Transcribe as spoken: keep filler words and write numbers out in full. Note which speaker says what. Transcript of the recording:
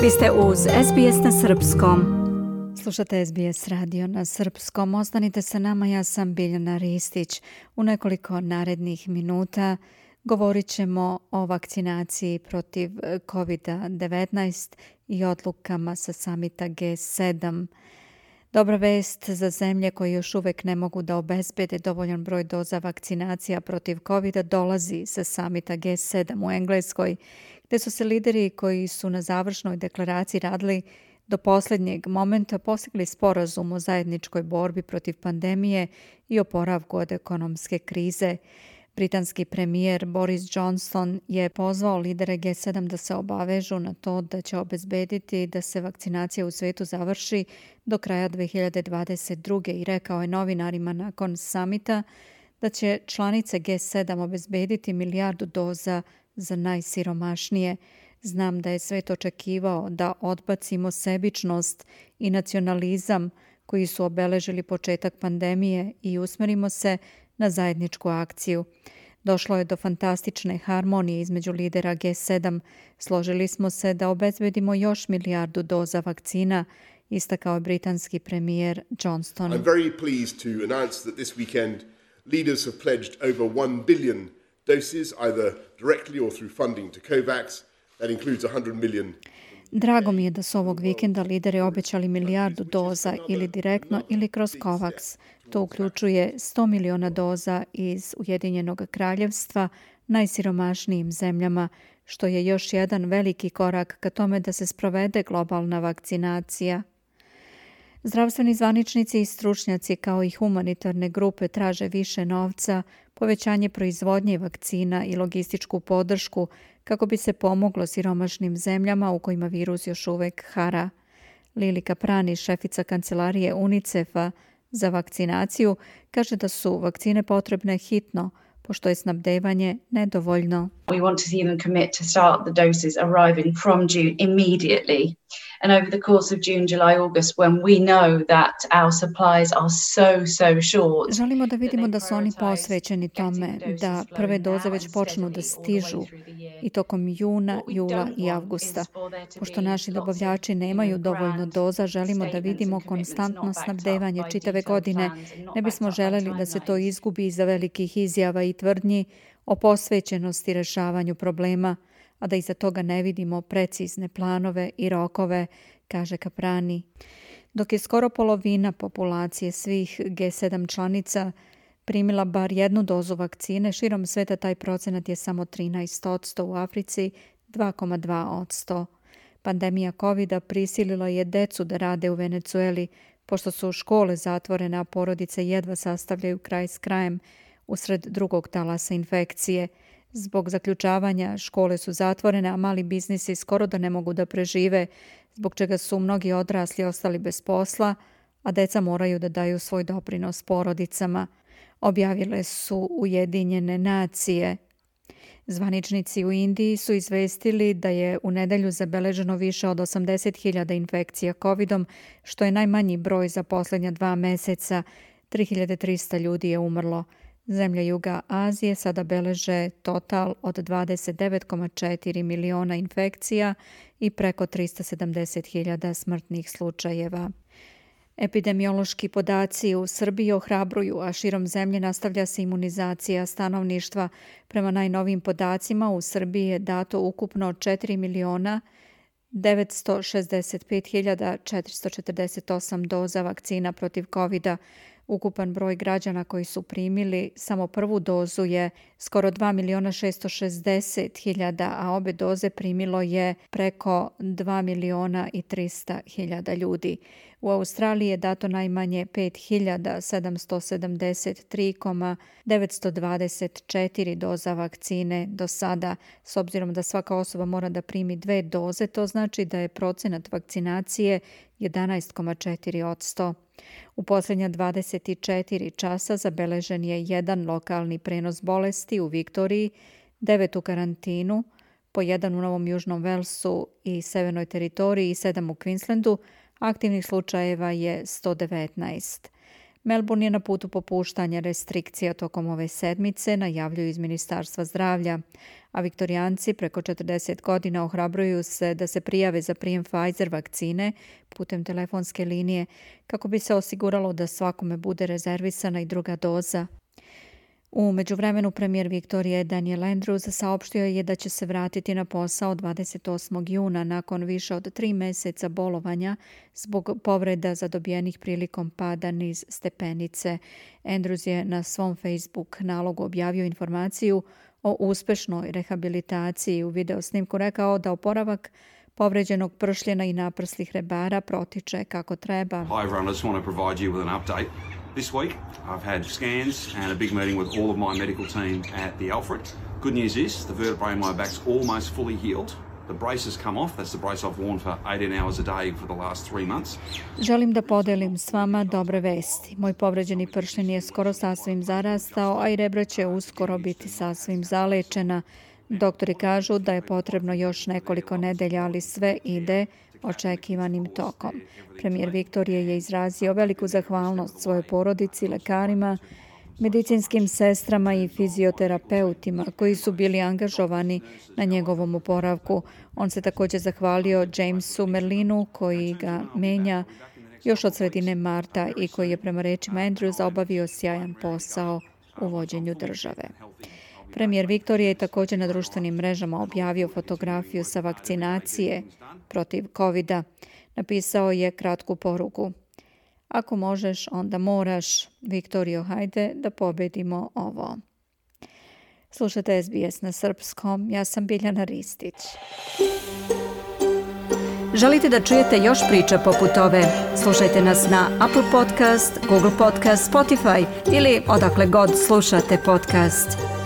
Speaker 1: Vi ste uz S B S na srpskom. Slušate S B S radio na srpskom. Ostanite sa nama, ja sam Biljana Ristić. U nekoliko narednih minuta govorit ćemo o vakcinaciji protiv kovid devetnaest i odlukama sa samita G sedam. Dobra vest za zemlje koje još uvek ne mogu da obezbede dovoljan broj doza vakcinacija protiv covida dolazi sa samita G sedam u Engleskoj, gde su se lideri koji su na završnoj deklaraciji radili do posljednjeg momenta postigli sporazum o zajedničkoj borbi protiv pandemije i oporavku od ekonomske krize. Britanski premijer Boris Johnson je pozvao lidere G sedam da se obavežu na to da će obezbediti da se vakcinacija u svetu završi do kraja dve hiljade dvadeset druge. i rekao je novinarima nakon samita da će članice G sedam obezbediti milijardu doza za najsiromašnije. Znam da je svet očekivao da odbacimo sebičnost i nacionalizam koji su obeležili početak pandemije i usmerimo se na zajedničku akciju. Došlo je do fantastične harmonije između lidera G sedam. Složili smo se da obezbedimo još milijardu doza vakcina, istakao je britanski premijer Johnson.
Speaker 2: I'm very pleased to announce that this weekend leaders have pledged over one billion doses, either directly or through funding to COVAX. That includes one hundred million.
Speaker 1: Drago mi je da su ovog vikenda lideri obećali milijardu doza ili direktno ili kroz COVAX. To uključuje sto miliona doza iz Ujedinjenog kraljevstva najsiromašnijim zemljama, što je još jedan veliki korak ka tome da se sprovede globalna vakcinacija. Zdravstveni zvaničnici i stručnjaci kao i humanitarne grupe traže više novca, povećanje proizvodnje vakcina i logističku podršku kako bi se pomoglo siromašnim zemljama u kojima virus još uvek hara. Lili Caprani, šefica kancelarije UNICEF-a za vakcinaciju, kaže da su vakcine potrebne hitno, pošto je snabdevanje nedovoljno.
Speaker 3: We want to see them commit to start the doses arriving from June immediately. And over the course of June, July, August, when we know that our supplies are so, so short.
Speaker 1: Želimo da vidimo da su oni posvećeni tome, da prve doze već počnu da stižu i tokom juna, jula i avgusta. Pošto naši dobavljači nemaju dovoljno doza, želimo da vidimo konstantno snabdevanje čitave godine. Ne bismo želeli da se to izgubi iza velikih izjava i tvrdnji o posvećenosti rešavanju problema, a da iza toga ne vidimo precizne planove i rokove, kaže Caprani. Dok je skoro polovina populacije svih G sedam članica primila bar jednu dozu vakcine, širom sveta taj procenat je samo trinaest posto, u Africi dva zarez dva posto. Pandemija covida prisilila je decu da rade u Venecueli, pošto su škole zatvorene, a porodice jedva sastavljaju kraj s krajem usred drugog talasa infekcije. Zbog zaključavanja škole su zatvorene, a mali biznisi skoro da ne mogu da prežive, zbog čega su mnogi odrasli ostali bez posla, a deca moraju da daju svoj doprinos porodicama, objavile su Ujedinjene nacije. Zvaničnici u Indiji su izvestili da je u nedelju zabeleženo više od osamdeset hiljada infekcija covidom, što je najmanji broj za posljednja dva meseca. tri hiljade trista ljudi je umrlo. Zemlje Juga Azije sada beleže total od dvadeset devet zarez četiri miliona infekcija i preko trista sedamdeset hiljada smrtnih slučajeva. Epidemiološki podaci u Srbiji ohrabruju, a širom zemlje nastavlja se imunizacija stanovništva. Prema najnovijim podacima u Srbiji je dato ukupno četiri miliona devetsto šezdeset pet hiljada četiristo četrdeset osam doza vakcina protiv covida. Ukupan broj građana koji su primili samo prvu dozu je skoro dva miliona šesto šezdeset hiljada, a obe doze primilo je preko dva miliona i trista hiljada ljudi. U Australiji je dato najmanje pet hiljada sedamsto sedamdeset tri zarez devetsto dvadeset četiri doza vakcine do sada. S obzirom da svaka osoba mora da primi dve doze, to znači da je procenat vakcinacije jedanaest zarez četiri posto. U posljednja dvadeset četiri časa zabeležen je jedan lokalni prenos bolesti u Viktoriji, devet u karantinu, po jedan u Novom Južnom Velsu i Severnoj teritoriji i sedam u Queenslandu. Aktivnih slučajeva je sto devetnaest. Melbourne je na putu popuštanja restrikcija tokom ove sedmice, najavljuju iz Ministarstva zdravlja, a Viktorijanci preko četrdeset godina ohrabruju se da se prijave za prijem Pfizer vakcine putem telefonske linije kako bi se osiguralo da svakome bude rezervisana i druga doza. U međuvremenu premijer Viktorije Daniel Andrews saopštio je da će se vratiti na posao dvadeset osmog juna nakon više od tri meseca bolovanja zbog povreda zadobijenih prilikom pada niz stepenice. Andrews je na svom Facebook nalogu objavio informaciju o uspešnoj rehabilitaciji. U videosnimku rekao da oporavak povređenog pršljena i naprslih rebara protiče kako treba.
Speaker 4: Hi everyone, I just want to provide you with an update. This week I've had scans and a big meeting with all of my medical team at the Alfred. Good news is the vertebrae in my back's almost fully healed. The brace has come off. That's the brace I've worn for eighteen hours a day for the last three months.
Speaker 1: Želim da podelim s vama dobre vesti. Moj povređeni pršljen je skoro sasvim zarastao, a i rebra će uskoro biti sasvim zalečena. Doktori kažu da je potrebno još nekoliko nedelja, ali sve ide očekivanim tokom. Premijer Viktorije je izrazio veliku zahvalnost svojoj porodici, lekarima, medicinskim sestrama i fizioterapeutima koji su bili angažovani na njegovom oporavku. On se također zahvalio Jamesu Merlinu koji ga menja još od sredine marta i koji je prema rečima Andrewsa obavio sjajan posao u vođenju države. Premijer Viktorije je također na društvenim mrežama objavio fotografiju sa vakcinacije protiv kovida. Napisao je kratku poruku. Ako možeš, onda moraš. Viktorijo, hajde da pobedimo ovo. Slušajte S B S na srpskom. Ja sam Biljana Ristić. Želite da čujete još priča poput ove? Slušajte nas na Apple Podcast, Google Podcast, Spotify ili odakle god slušate podcast.